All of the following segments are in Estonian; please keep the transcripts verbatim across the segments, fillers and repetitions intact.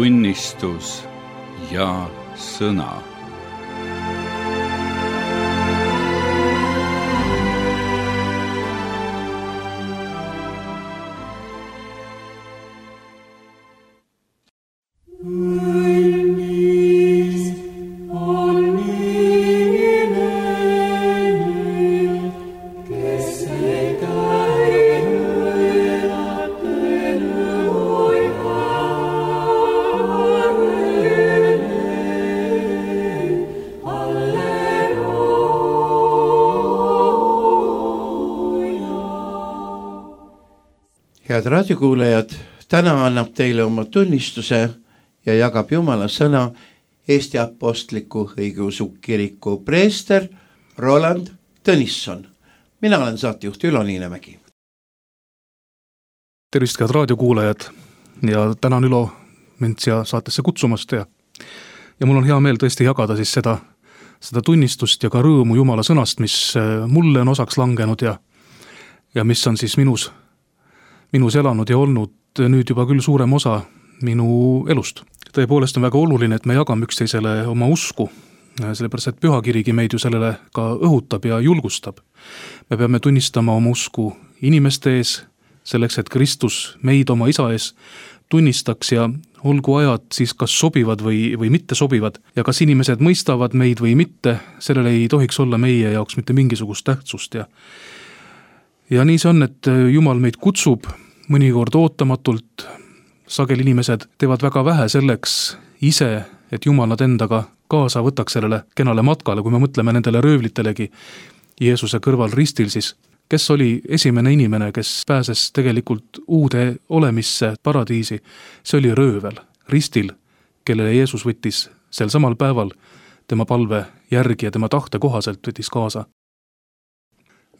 tunnistus ja sõna. Head raadiokuulajad, täna annab teile oma tunnistuse ja jagab Jumala sõna Eesti Apostliku Õigeusu Kiriku preester Roland Tõnisson. Mina olen saatejuht Ülo Niinemägi. Tervist, head raadiokuulajad, ja tänan Ülo mind siia saatesse kutsumast ja, ja mul on hea meel tõesti jagada siis seda, seda tunnistust ja ka rõõmu Jumala sõnast, mis mulle on osaks langenud ja, ja mis on siis minus minus elanud ja olnud nüüd juba küll suurem osa minu elust. Tõepoolest on väga oluline, et me jagame üksteisele oma usku, sellepärast et pühakirigi meid ju sellele ka õhutab ja julgustab. Me peame tunnistama oma usku inimeste ees, selleks, et Kristus meid oma isa ees tunnistaks ja olgu ajad siis kas sobivad või, või mitte sobivad ja kas inimesed mõistavad meid või mitte, sellele ei tohiks olla meie jaoks mitte mingisugust tähtsust ja Ja nii see on, et Jumal meid kutsub mõnikord ootamatult, sageli inimesed teevad väga vähe selleks ise, et Jumal nad endaga kaasa võtaks sellele kenale matkale, kui me mõtleme nendele röövlitelegi Jeesuse kõrval ristil, siis kes oli esimene inimene, kes pääses tegelikult uude olemisse paradiisi, see oli röövel, ristil, kellele Jeesus võttis sel samal päeval tema palve järgi ja tema tahte kohaselt võttis kaasa.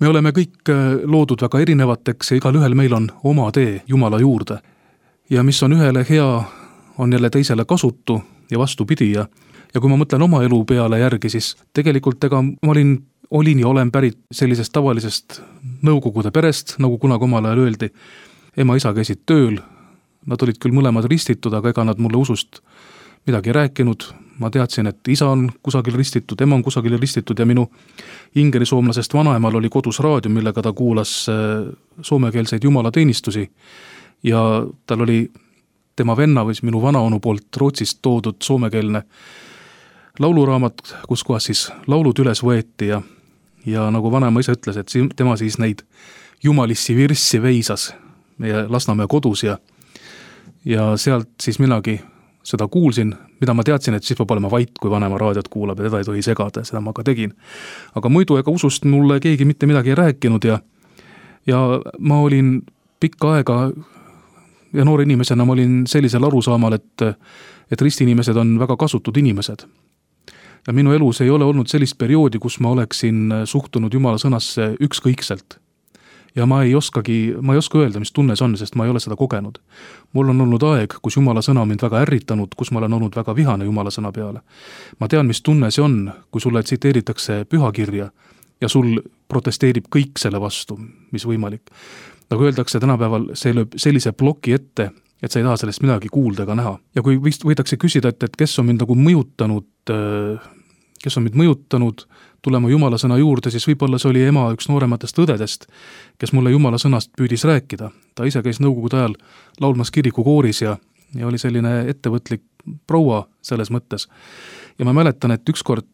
Me oleme kõik loodud väga erinevateks ja igal ühel meil on oma tee Jumala juurde. Ja mis on ühele hea, on jälle teisele kasutu ja vastupidi. Ja, ja kui ma mõtlen oma elu peale järgi, siis tegelikult ega ma olin, olin ja olen pärit sellisest tavalisest nõukogude perest, nagu kunagi omal ajal öeldi. Ema isa käisid tööl, nad olid küll mõlemad ristitud, aga ega nad mulle usust midagi rääkinud. Ma teadsin, et isa on kusagil ristitud, ema on kusagil ristitud ja minu ingerisoomlasest vanaemal oli kodus raadio, millega ta kuulas soomekeelseid jumalateenistusi ja tal oli tema venna või minu vanaonu poolt Rootsist toodud soomekeelne lauluraamat, kus kohas siis laulud üles võeti ja, ja nagu vanaema ise ütles, et tema siis neid jumalissi virssi veisas meie Lasnamäe kodus ja, ja sealt siis minagi seda kuulsin, mida ma teadsin, et siis peab olema vait, kui vanema raadiot kuulab ja teda ei tohi segada, seda ma ka tegin. Aga muidu ega usust mulle keegi mitte midagi ei rääkinud ja, ja ma olin pikka aega ja noore inimesena ma olin sellisel arusaamal, et, et ristinimesed on väga kasutud inimesed. Ja minu elus ei ole olnud sellist perioodi, kus ma oleksin suhtunud Jumala sõnasse ükskõikselt. Ja ma ei oskagi, ma ei oska öelda, mis tunne see on, sest ma ei ole seda kogenud. Mul on olnud aeg, kus Jumala sõna mind väga ärritanud, kus ma olen olnud väga vihane Jumala sõna peale. Ma tean, mis tunne see on, kui sulle tsiteeritakse pühakirja ja sul protesteerib kõik selle vastu, mis võimalik. Nagu öeldakse tänapäeval, see lööb sellise ploki ette, et sa ei taha sellest midagi kuulda ega näha. Ja kui võidakse küsida, et, et kes on mind nagu mõjutanud, kes on mind mõjutanud tulema Jumala sõna juurde, siis võib-olla see oli ema üks noorematest õdedest, kes mulle Jumala sõnast püüdis rääkida. Ta ise käis nõukogude ajal laulmas kirikukooris ja, ja oli selline ettevõtlik proua selles mõttes. Ja ma mäletan, et ükskord,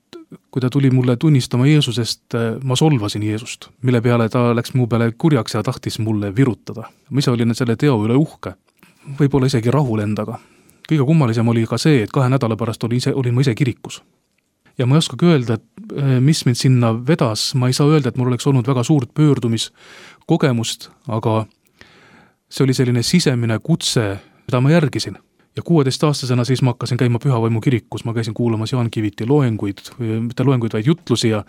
kui ta tuli mulle tunnistama Jeesusest, ma solvasin Jeesust, mille peale ta läks mu peale kurjaks ja tahtis mulle virutada. Ma ise olin selle teo üle uhke, võib-olla isegi rahul endaga. Kõige kummalisem oli ka see, et kahe nädala pärast olin, ise, olin ma ise kirikus. Ja ma ei oskagi öelda, et mis mind sinna vedas, ma ei saa öelda, et mul oleks olnud väga suurt pöördumiskogemust, aga see oli selline sisemine kutse, mida ma järgisin. Ja kuueteistaastasena siis ma hakkasin käima Pühavaimu kirikus, ma käisin kuulamas Jaan Kiviti loenguid, mitte loenguid, vaid jutlusi ja,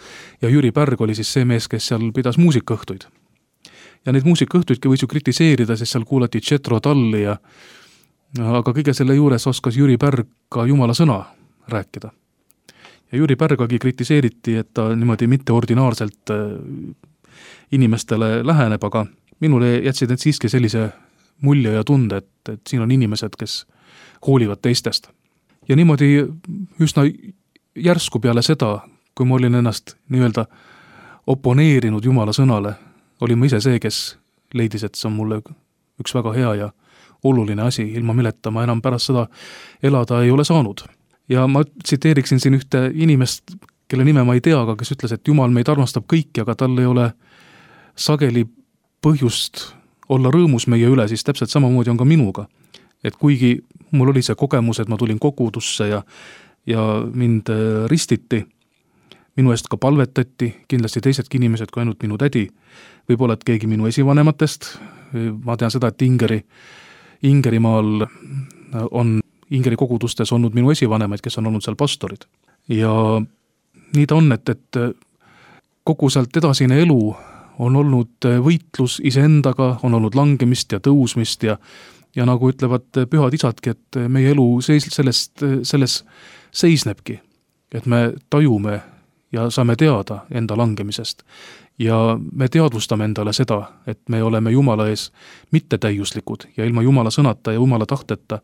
ja Jüri Pärg oli siis see mees, kes seal pidas muusikaõhtuid. Ja neid muusikaõhtuidki võis ju kritiseerida, sest seal kuulati Jetro Tulli ja aga kõige selle juures oskas Jüri Pärg ka Jumala sõna rääkida. Ja Jüri Pärgagi kritiseeriti, et ta niimoodi mitteordinaarselt inimestele läheneb, aga minule jätsid need siiski sellise mulje ja tunde, et, et siin on inimesed, kes hoolivad teistest. Ja niimoodi üsna järsku peale seda, kui ma olin ennast nii-öelda oponeerinud Jumala sõnale, olin ma ise see, kes leidis, et see on mulle üks väga hea ja oluline asi, ilma milleta ma enam pärast seda elada ei ole saanud. Ja ma tsiteeriksin siin ühte inimest, kelle nime ma ei tea, aga kes ütles, et Jumal meid armastab kõiki, aga tal ei ole sageli põhjust olla rõõmus meie üle, siis täpselt samamoodi on ka minuga. Et kuigi mul oli see kogemus, et ma tulin kogudusse ja, ja mind ristiti, minu eest ka palvetati, kindlasti teisedki inimesed kui ainult minu tädi, võib-olla et keegi minu esivanematest, ma tean seda, et Ingeri, Ingerimaal on Ingeri kogudustes olnud minu esivanemaid, kes on olnud seal pastorid. Ja nii ta on, et, et kogu sealt edasine elu on olnud võitlus iseendaga, on olnud langemist ja tõusmist ja, ja nagu ütlevad pühad isadki, et meie elu seis, sellest, selles seisnebki, et me tajume ja saame teada enda langemisest ja me teadvustame endale seda, et me oleme Jumala ees mittetäiuslikud ja ilma Jumala sõnata ja Jumala tahteta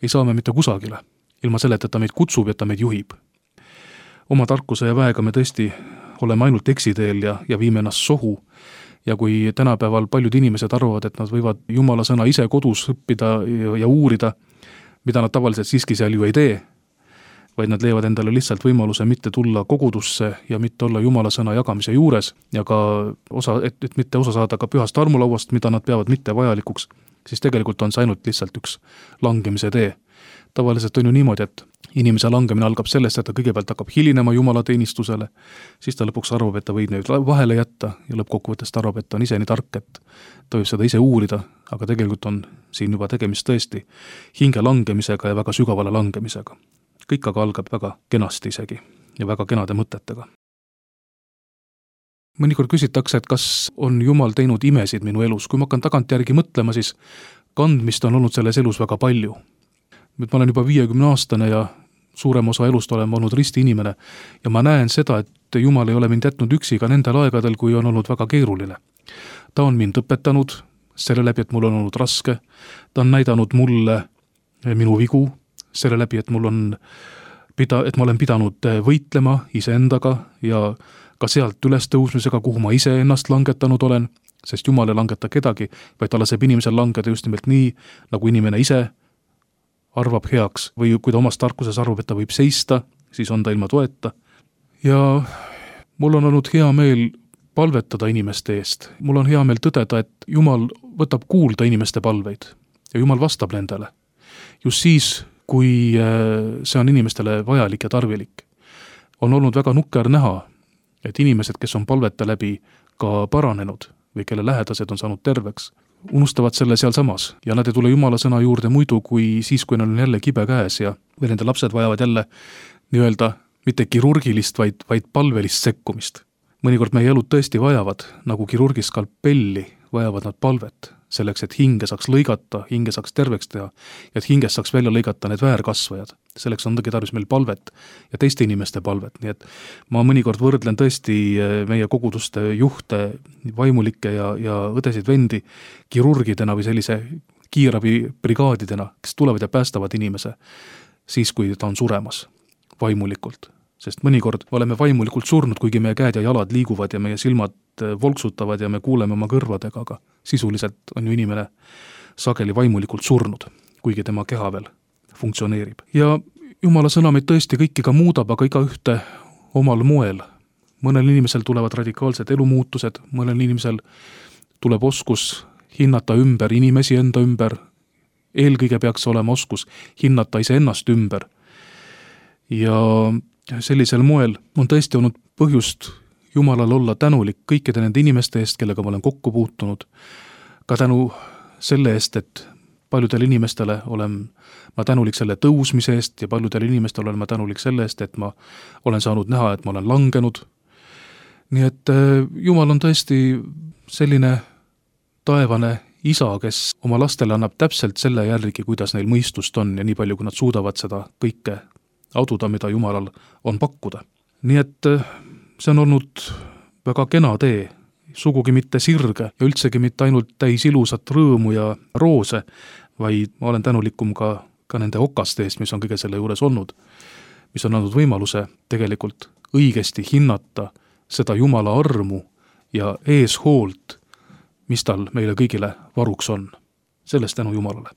ei saa me mitte kusagile, ilma selleta, et ta meid kutsub ja ta meid juhib. Oma tarkuse ja väega me tõesti oleme ainult eksiteel ja, ja viime ennast sohu ja kui tänapäeval paljud inimesed arvavad, et nad võivad Jumala sõna ise kodus õppida ja, ja uurida, mida nad tavaliselt siiski seal ju ei tee, vaid nad leiavad endale lihtsalt võimaluse mitte tulla kogudusse ja mitte olla Jumala sõna jagamise juures ja ka osa, et, et mitte osa saada ka pühast armulauast, mida nad peavad mitte vajalikuks, siis tegelikult on see ainult lihtsalt üks langemise tee. Tavaliselt on ju niimoodi, et inimese langemine algab sellest, et ta kõigepealt hakkab hilinema Jumala teenistusele, siis ta lõpuks arvab, et ta võib neid vahele jätta ja lõppkokkuvõttest arvab, et ta on ise nii tark, et ta võib seda ise uurida, aga tegelikult on siin juba tegemist tõesti hinge langemisega ja väga sügavale langemisega. Kõik aga algab väga kenasti isegi ja väga kenade mõtetega. Mõnikord küsitakse, et kas on Jumal teinud imesid minu elus. Kui ma hakkan tagantjärgi mõtlema, siis kandmist on olnud selles elus väga palju. Nüüd ma olen juba viiekümne aastane ja suurem osa elust olen olnud risti inimene ja ma näen seda, et Jumal ei ole mind jätnud üksi ka nendel aegadel, kui on olnud väga keeruline. Ta on mind õpetanud selle läbi, et mul on olnud raske. Ta on näidanud mulle minu vigu selle läbi, et mul on pida, et ma olen pidanud võitlema iseendaga ja ka sealt üles tõusmisega, kuhu ma ise ennast langetanud olen, sest Jumal ei langeta kedagi, vaid ta laseb inimesel langeda just nimelt nii, nagu inimene ise arvab heaks või kui ta omast tarkuses arvab, et ta võib seista, siis on ta ilma toeta. Ja mul on olnud hea meel palvetada inimeste eest. Mul on hea meel tõdeda, et Jumal võtab kuulda inimeste palveid ja Jumal vastab nendele. Just siis, kui see on inimestele vajalik ja tarvilik. On olnud väga nukker näha, et inimesed, kes on palvete läbi ka paranenud või kelle lähedased on saanud terveks, unustavad selle seal samas ja nad ei tule Jumala sõna juurde muidu kui siis, kui neil on jälle kibe käes ja või nende lapsed vajavad jälle nii-öelda mitte kirurgilist, vaid, vaid palvelist sekkumist. Mõnikord meie elud tõesti vajavad, nagu kirurgist skalpelli, vajavad nad palvet, selleks, et hinge saaks lõigata, hinge saaks terveks teha ja et hingest saaks välja lõigata need väärkasvajad. Selleks on tõgi tarvis meil palvet ja teiste inimeste palvet, nii et ma mõnikord võrdlen tõesti meie koguduste juhte, vaimulikke ja, ja õdesid vendi kirurgidena või sellise kiirabibrigaadidena, kes tulevad ja päästavad inimese siis, kui ta on suremas vaimulikult. Sest mõnikord oleme vaimulikult surnud, kuigi meie käed ja jalad liiguvad ja meie silmad volksutavad ja me kuuleme oma kõrvadega, aga sisuliselt on ju inimene sageli vaimulikult surnud, kuigi tema keha veel funktsioneerib. Ja Jumala sõna meid tõesti kõiki ka muudab, aga iga ühte omal moel. Mõnel inimesel tulevad radikaalsed elumuutused, mõnel inimesel tuleb oskus hinnata ümber inimesi enda ümber, eelkõige peaks olema oskus hinnata iseennast ümber. Ja sellisel moel on tõesti olnud põhjust Jumalal olla tänulik kõikide nende inimeste eest, kellega ma olen kokku puutunud, ka tänu selle eest, et paljudele inimestele olen ma tänulik selle tõusmise eest ja paljudele inimestele olen ma tänulik selle eest, et ma olen saanud näha, et ma olen langenud. Nii et Jumal on tõesti selline taevane isa, kes oma lastele annab täpselt selle järgi, kuidas neil mõistust on ja nii palju, kui nad suudavad seda kõike aduda, mida Jumalal on pakkuda. Nii et see on olnud väga kena tee, sugugi mitte sirge ja üldsegi mitte ainult täis ilusat rõõmu ja roose, vaid ma olen tänulikum ka ka nende okaste eest, mis on kõige selle juures olnud, mis on andnud võimaluse tegelikult õigesti hinnata seda Jumala armu ja eeshoolt, mis tal meile kõigile varuks on. Sellest tänu Jumalale.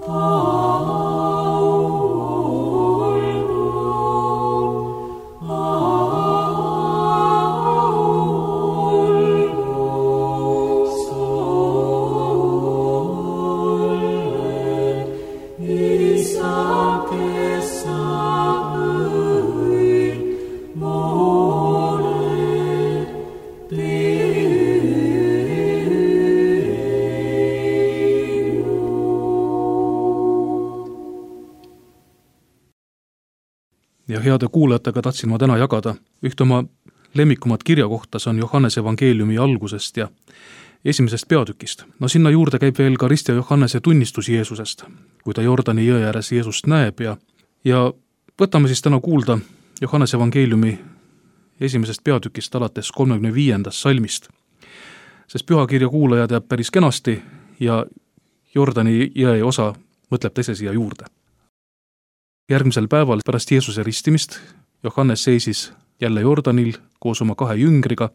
Oh. ja heade kuulajatega tahtsin ma täna jagada ühte oma lemmikumat kirja kohta, see on Johannese evangeeliumi algusest ja esimesest peatükist. No sinna juurde käib veel ka Rist ja Johannese tunnistus Jeesusest, kui ta Jordani jõe ääres Jeesust näeb ja, ja võtame siis täna kuulda Johannese evangeeliumi esimesest peatükist alates kolmekümne viiendast salmist. Sest pühakirja kuulaja teab päris kenasti ja Jordani jõe osa mõtleb teise siia juurde. Järgmisel päeval pärast Jeesuse ristimist Johannes seisis jälle Jordanil koos oma kahe jüngriga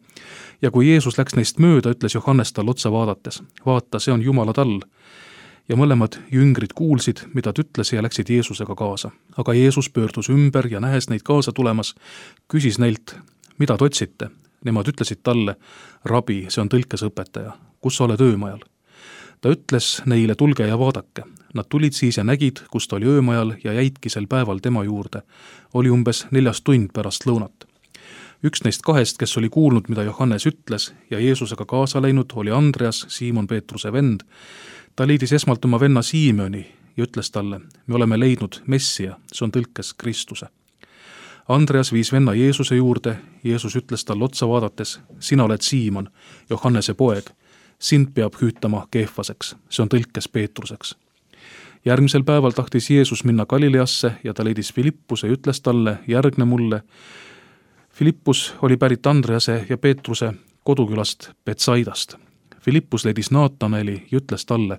ja kui Jeesus läks neist mööda, ütles Johannes tal otsa vaadates, vaata, see on Jumala tall. Ja mõlemad jüngrid kuulsid, mida ta ütles ja läksid Jeesusega kaasa. Aga Jeesus pöördus ümber ja nähes neid kaasa tulemas, küsis neilt, mida te otsite. Nemad ütlesid talle, rabi, see on tõlkes õpetaja, kus sa oled öömajal? Ta ütles neile, tulge ja vaadake. Nad tulid siis ja nägid, kus ta oli öömajal ja jäidki sel päeval tema juurde. Oli umbes neljas tund pärast lõunat. Üks neist kahest, kes oli kuulnud, mida Johannes ütles ja Jeesusega kaasa läinud, oli Andreas, Siimon Peetruse vend. Ta leidis esmalt oma venna Siimoni ja ütles talle, me oleme leidnud Messia, see on tõlkes Kristuse. Andreas viis venna Jeesuse juurde, Jeesus ütles talle otsa vaadates, sina oled Siimon, Johannese poeg. Sind peab hüütama Keefaseks, see on tõlkes Peetruseks. Järgmisel päeval tahtis Jeesus minna Galileasse ja ta leidis Filippuse ja ütles talle, järgne mulle. Filippus oli pärit Andrease ja Peetruse kodukülast Betsaidast. Filippus leidis Naataneli ja ütles talle,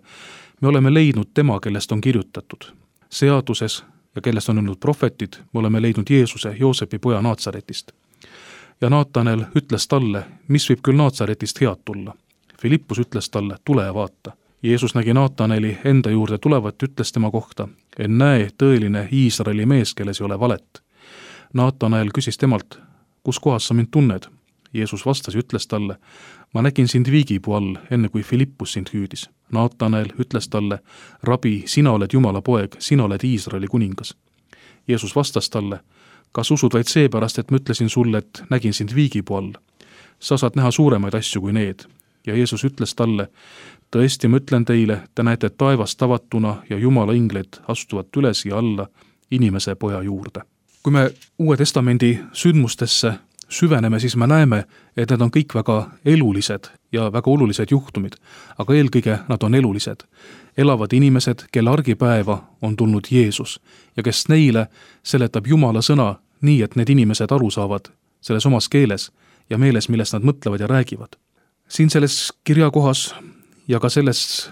me oleme leidnud tema, kellest on kirjutatud. Seaduses ja kellest on olnud prohvetid, me oleme leidnud Jeesuse, Joosepi poja Naatsaretist. Ja Naatanel ütles talle, mis võib küll Naatsaretist head tulla. Filippus ütles talle, tule ja vaata. Jeesus nägi Naataneli enda juurde tulevat, ütles tema kohta, en näe tõeline Iisraeli mees, kelles ei ole valet. Naatanel küsis temalt, kus kohas sa mind tunned? Jeesus vastas ja ütles talle, ma nägin sind viigipuu all, enne kui Filippus sind hüüdis. Naatanel ütles talle, rabi, sina oled Jumala poeg, sina oled Iisraeli kuningas. Jeesus vastas talle, kas usud vaid seepärast, et ma ütlesin sulle, et nägin sind viigipuu all? Sa saad näha suuremaid asju kui need. Ja Jeesus ütles talle, tõesti ma ütlen teile, te näete taevast avatuna ja Jumala inglid astuvad üles ja alla inimese poja juurde. Kui me Uue Testamendi sündmustesse süveneme, siis me näeme, et need on kõik väga elulised ja väga olulised juhtumid, aga eelkõige nad on elulised. Elavad inimesed, kelle argipäeva on tulnud Jeesus ja kes neile seletab Jumala sõna nii, et need inimesed aru saavad selles omas keeles ja meeles, millest nad mõtlevad ja räägivad. Siin selles kirjakohas ja ka selles,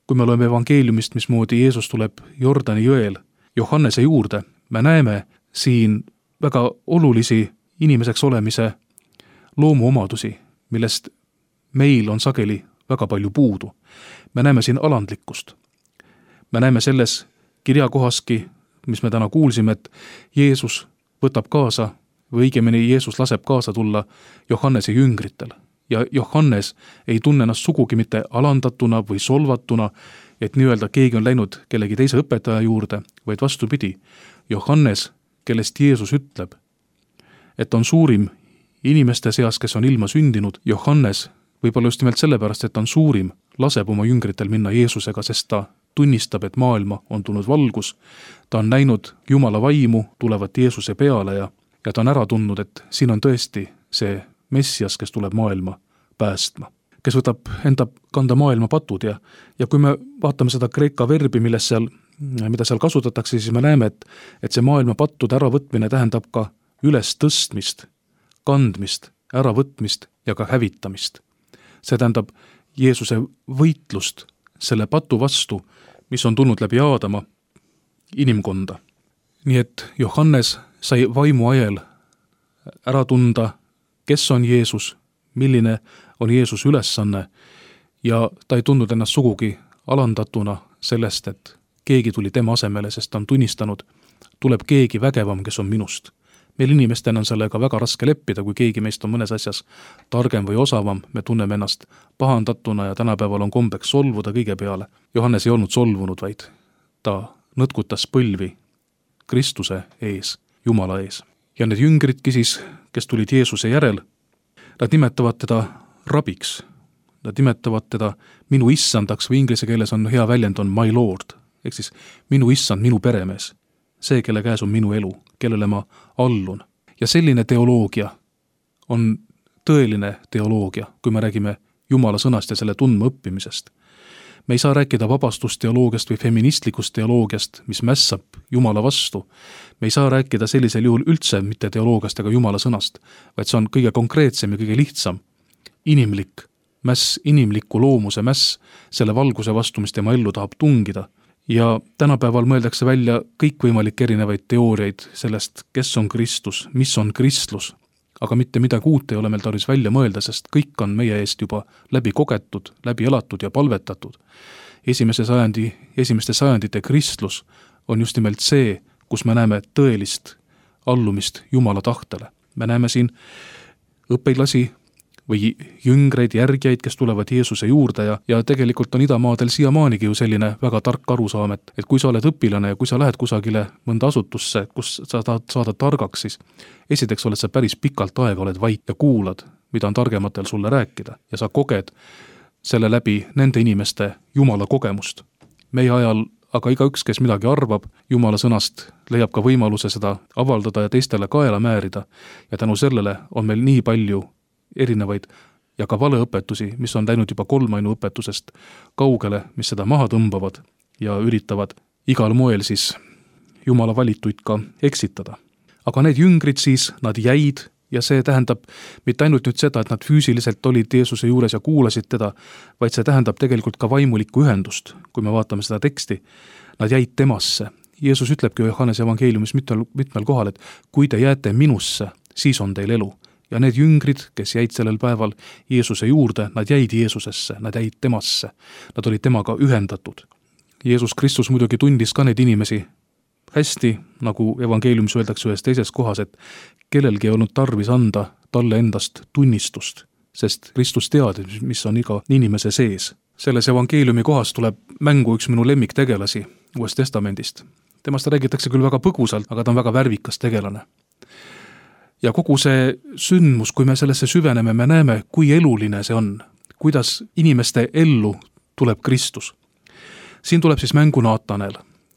kui me loeme evangeeliumist, mismoodi Jeesus tuleb Jordani jõel Johannese juurde, me näeme siin väga olulisi inimeseks olemise loomuomadusi, millest meil on sageli väga palju puudu. Me näeme siin alandlikkust. Me näeme selles kirjakohaski, mis me täna kuulsime, et Jeesus võtab kaasa, või õigemini Jeesus laseb kaasa tulla Johannese jüngritel. Ja Johannes ei tunne ennast sugugi mitte alandatuna või solvatuna, et nii-öelda keegi on läinud kellegi teise õpetaja juurde, vaid vastupidi. Johannes, kellest Jeesus ütleb, et on suurim inimeste seas, kes on ilma sündinud, Johannes, võib-olla just nimelt sellepärast, et on suurim, laseb oma jüngritel minna Jeesusega, sest ta tunnistab, et maailma on tulnud valgus, ta on näinud Jumala vaimu tulevat Jeesuse peale ja, ja ta on ära tundnud, et siin on tõesti see Messias, kes tuleb maailma päästma, kes võtab enda kanda maailma patud ja, ja kui me vaatame seda kreeka verbi, milles seal, mida seal kasutatakse, siis me näeme, et, et see maailma pattude äravõtmine tähendab ka üles tõstmist, kandmist, äravõtmist ja ka hävitamist. See tähendab Jeesuse võitlust selle patu vastu, mis on tulnud läbi Aadama inimkonda. Nii et Johannes sai vaimu ajel ära tunda, kes on Jeesus, milline on Jeesus ülesanne ja ta ei tundnud ennast sugugi alandatuna sellest, et keegi tuli tema asemele, sest ta on tunnistanud, tuleb keegi vägevam, kes on minust. Meil inimestena on sellega väga raske leppida, kui keegi meist on mõnes asjas targem või osavam, me tunneme ennast pahandatuna ja tänapäeval on kombeks solvuda kõige peale. Johannes ei olnud solvunud, vaid ta nõtkutas põlvi Kristuse ees, Jumala ees. Ja need jüngridki siis, kes tulid Jeesuse järel, nad nimetavad teda rabiks. Nad nimetavad teda minu issandaks või inglise keeles on hea väljend on my lord, ehk siis minu issand, minu peremees. See, kelle käes on minu elu, kellele ma allun. Ja selline teoloogia on tõeline teoloogia, kui me räägime Jumala sõnast ja selle tundma õppimisest. Me ei saa rääkida vabastusteoloogiast või feministlikust teoloogiast, mis mässab Jumala vastu. Me ei saa rääkida sellisel juhul üldse mitte teoloogiast ega Jumala sõnast, vaid see on kõige konkreetsem ja kõige lihtsam. Inimlik mäss, inimliku loomuse mäss selle valguse vastu, mis tema ellu tahab tungida. Ja tänapäeval mõeldakse välja kõikvõimalik erinevaid teooriaid sellest, kes on Kristus, mis on kristlus. Aga mitte midagi uut ei ole meil tarvis välja mõelda, sest kõik on meie eest juba läbi kogetud, läbi elatud ja palvetatud. Esimese sajandi, esimeste sajandite kristlus on just nimelt see, kus me näeme tõelist allumist Jumala tahtele. Me näeme siin õpilasi või jüngreid, järgijaid, kes tulevad Jeesuse juurde ja, ja tegelikult on idamaadel siiamaanigi ju selline väga tark arusaam, et, et kui sa oled õpilane ja kui sa lähed kusagile mõnda asutusse, kus sa tahad saada targaks, siis esiteks oled sa päris pikalt aega, oled vait ja kuulad, mida on targematel sulle rääkida ja sa koged selle läbi nende inimeste Jumala kogemust. Meie ajal aga igaüks, kes midagi arvab, Jumala sõnast leiab ka võimaluse seda avaldada ja teistele kaela määrida ja tänu sellele on meil nii palju erinevaid ja ka valeõpetusi, mis on läinud juba kolmainu õpetusest kaugele, mis seda maha tõmbavad ja üritavad igal moel siis Jumala valituid ka eksitada. Aga need jüngrid siis, nad jäid ja see tähendab mitte ainult nüüd seda, et nad füüsiliselt olid Jeesuse juures ja kuulasid teda, vaid see tähendab tegelikult ka vaimulikku ühendust, kui me vaatame seda teksti. Nad jäid temasse. Jeesus ütlebki Johannese evangeeliumis mitmel, mitmel kohal, et kui te jääte minusse, siis on teil elu. Ja need jüngrid, kes jäid sellel päeval Jeesuse juurde, nad jäid Jeesusesse, nad jäid temasse. Nad olid temaga ühendatud. Jeesus Kristus muidugi tundis ka neid inimesi hästi, nagu evangeeliumis öeldakse ühes teises kohas, et kellelgi ei olnud tarvis anda talle endast tunnistust, sest Kristus teadis, mis on iga inimese sees. Selles evangeeliumi kohas tuleb mängu üks minu lemmiktegelasi Uuest Testamendist. Temast räägitakse küll väga põgusalt, aga ta on väga värvikas tegelane. Ja kogu see sündmus, kui me sellesse süveneme, me näeme, kui eluline see on, kuidas inimeste ellu tuleb Kristus. Siin tuleb siis mängu Naatanel,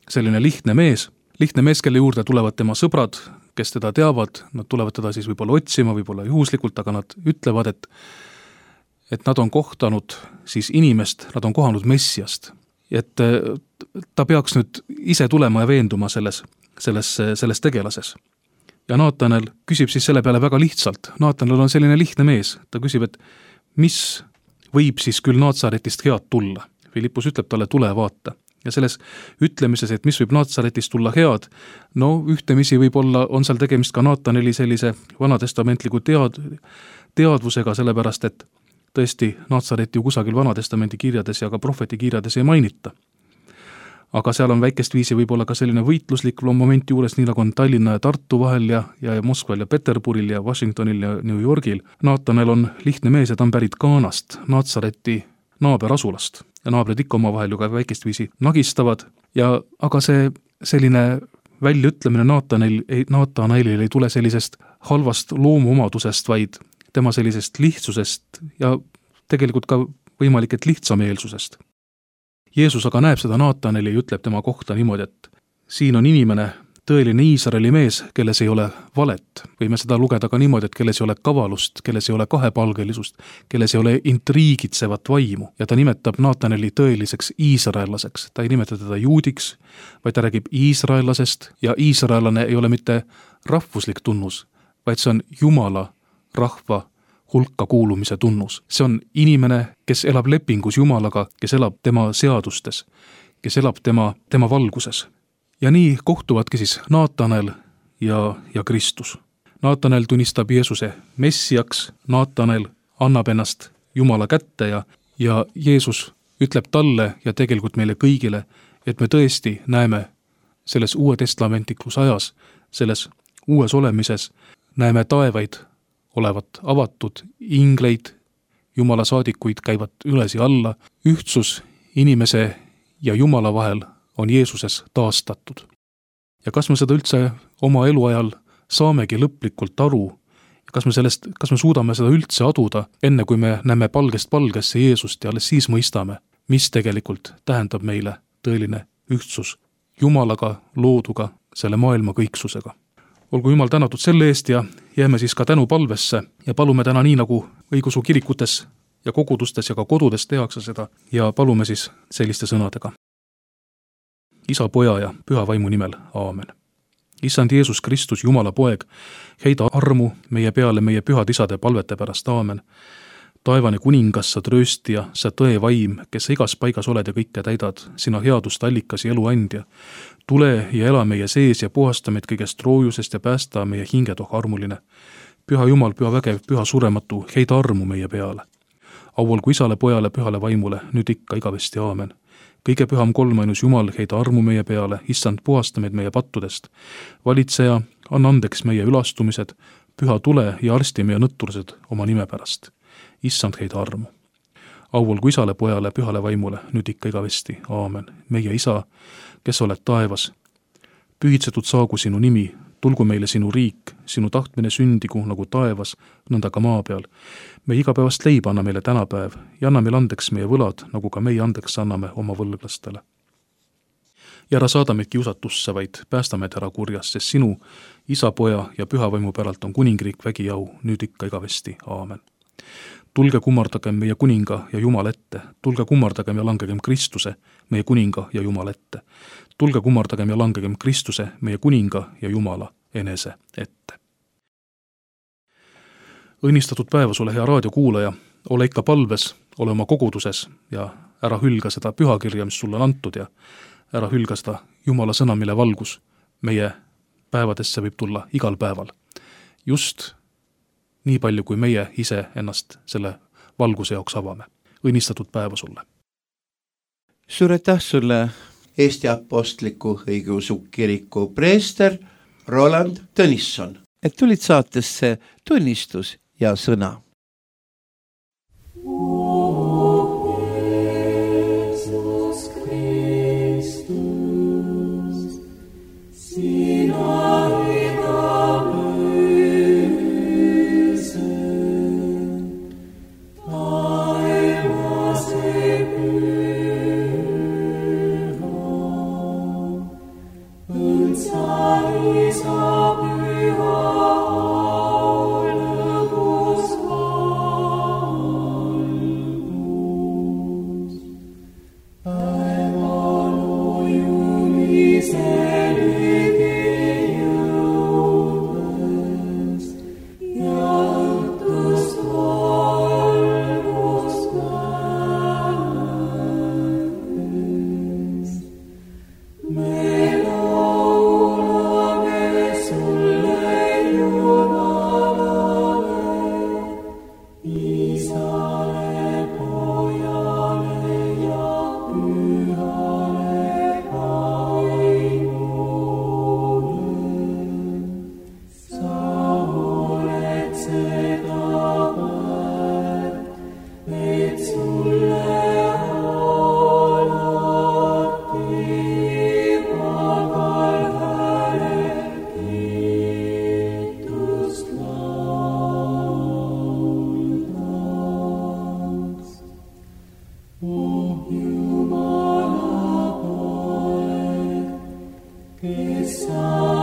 selline lihtne mees, lihtne mees, kelle juurde tulevad tema sõbrad, kes teda teavad, nad tulevad teda siis võib-olla otsima, võib-olla juhuslikult, aga nad ütlevad, et, et nad on kohtanud siis inimest, nad on kohanud Messiast. Et ta peaks nüüd ise tulema ja veenduma selles, selles, selles tegelases. Ja Naatanel küsib siis selle peale väga lihtsalt. Naatanel on selline lihtne mees. Ta küsib, et mis võib siis küll Naatsaretist head tulla? Filippus ütleb talle, tule vaata. Ja selles ütlemises, et mis võib Naatsaretist tulla head, no ühtemisi võib-olla on seal tegemist ka Naataneli sellise vanatestamentliku tead, teadvusega, sellepärast, et tõesti Naatsareti ju kusagil vanatestamendi kirjades ja ka prohveti kirjades ei mainita. Aga seal on väikest viisi võib-olla ka selline võitluslik moment juures, nii nagu on Tallinna ja Tartu vahel ja, ja Moskval ja Peterburil ja Washingtonil ja New Yorgil. Naatanel on lihtne mees ja ta on pärit Kaanast, Naatsareti naaberasulast. Ja naabrid ikka oma vahel ju ka väikest viisi nagistavad. Ja, aga see selline väljaütlemine Naatanel, Naatanelil ei tule sellisest halvast loomuomadusest, vaid tema sellisest lihtsusest ja tegelikult ka võimalik, et lihtsameelsusest. Jeesus aga näeb seda Naataneli ja ütleb tema kohta niimoodi, et siin on inimene, tõeline Iisraeli mees, kelles ei ole valet. Võime seda lugeda ka niimoodi, et kelles ei ole kavalust, kelles ei ole kahepalgelisust, kelles ei ole intriigitsevat vaimu. Ja ta nimetab Naataneli tõeliseks iisraellaseks. Ta ei nimeta teda juudiks, vaid ta räägib iisraellasest ja iisraellane ei ole mitte rahvuslik tunnus, vaid see on Jumala rahva hulka kuulumise tunnus. See on inimene, kes elab lepingus Jumalaga, kes elab tema seadustes, kes elab tema, tema valguses. Ja nii kohtuvadki siis Naatanel ja, ja Kristus. Naatanel tunnistab Jeesuse messiaks, Naatanel annab ennast Jumala kätte ja, ja Jeesus ütleb talle ja tegelikult meile kõigile, et me tõesti näeme selles uue testamentlikus ajas, selles uues olemises, näeme taevaid olevat avatud, ingleid, Jumala saadikuid käivad üles ja alla, ühtsus inimese ja Jumala vahel on Jeesuses taastatud. Ja kas me seda üldse oma eluajal saamegi lõplikult aru, kas me sellest, kas me suudame seda üldse aduda, enne kui me näeme palgest palgesse Jeesust ja alles siis mõistame, mis tegelikult tähendab meile tõeline ühtsus Jumalaga, looduga, selle maailma kõiksusega. Olgu Jumal tänatud selle eest ja jääme siis ka tänu palvesse ja palume täna nii, nagu õigeusu kirikutes ja kogudustes ja ka kodudes tehakse seda ja palume siis selliste sõnadega. Isa, Poja ja Püha Vaimu nimel, aamen. Issand Jeesus Kristus, Jumala poeg, heida armu meie peale meie pühad isade palvete pärast, aamen. Taevane kuningas, sa trööstija, sa tõe vaim, kes sa igas paigas oled ja kõike täidad, sina headust allikas ja eluandja. Tule ja ela meie sees ja puhasta meid kõigest roojusest ja päästa meie hinged, oh armuline. Püha Jumal, püha vägev, püha surematu, heida armu meie peale. Auolgu Isale, Pojale, Pühale Vaimule, nüüd ikka igavesti, aamen. Kõige püham kolmainus Jumal, heida armu meie peale, issand, puhasta meid meie pattudest. Valitseja, anna andeks meie ülastumised, püha tule ja arsti meie nõttursed oma nime pärast. Issand, heida armu. Auolgu Isale, Pojale, Pühale Vaimule, nüüd ikka igavesti, aamen. Meie Isa, kes oled taevas, pühitsetud saagu sinu nimi, tulgu meile sinu riik, sinu tahtmine sündigu nagu taevas, nõnda ka maa peal. Me igapäevast leiba anna meile tänapäev ja anna meile andeks meie võlad, nagu ka meie andeks anname oma võlglastele. Ja ära saada meid kiusatusse, vaid päästa meid ära kurjast, sest sinu, Isa, Poja ja Püha Vaimu päralt on kuningriik, vägi, au, nüüd ikka igavesti, aamen. Tulge kummardagem meie kuninga ja Jumal ette, tulge kummardagem ja langegem Kristuse, meie kuninga ja Jumal ette. Tulge kummardagem ja langegem Kristuse, meie kuninga ja Jumala enese ette. Õnnistatud päeva sulle, hea raadiokuulaja, ole ikka palves, ole oma koguduses ja ära hülga seda pühakirja, mis sulle on antud ja ära hülga seda Jumala sõna, mille valgus meie päevadesse võib tulla igal päeval. Just nii palju, kui meie ise ennast selle valguse jaoks avame. Õnnistatud päeva sulle. Suur aitäh sulle, Eesti Apostliku Õigeusu Kiriku preester Roland Tõnisson, et tulid saatesse tunnistus ja sõna. Isa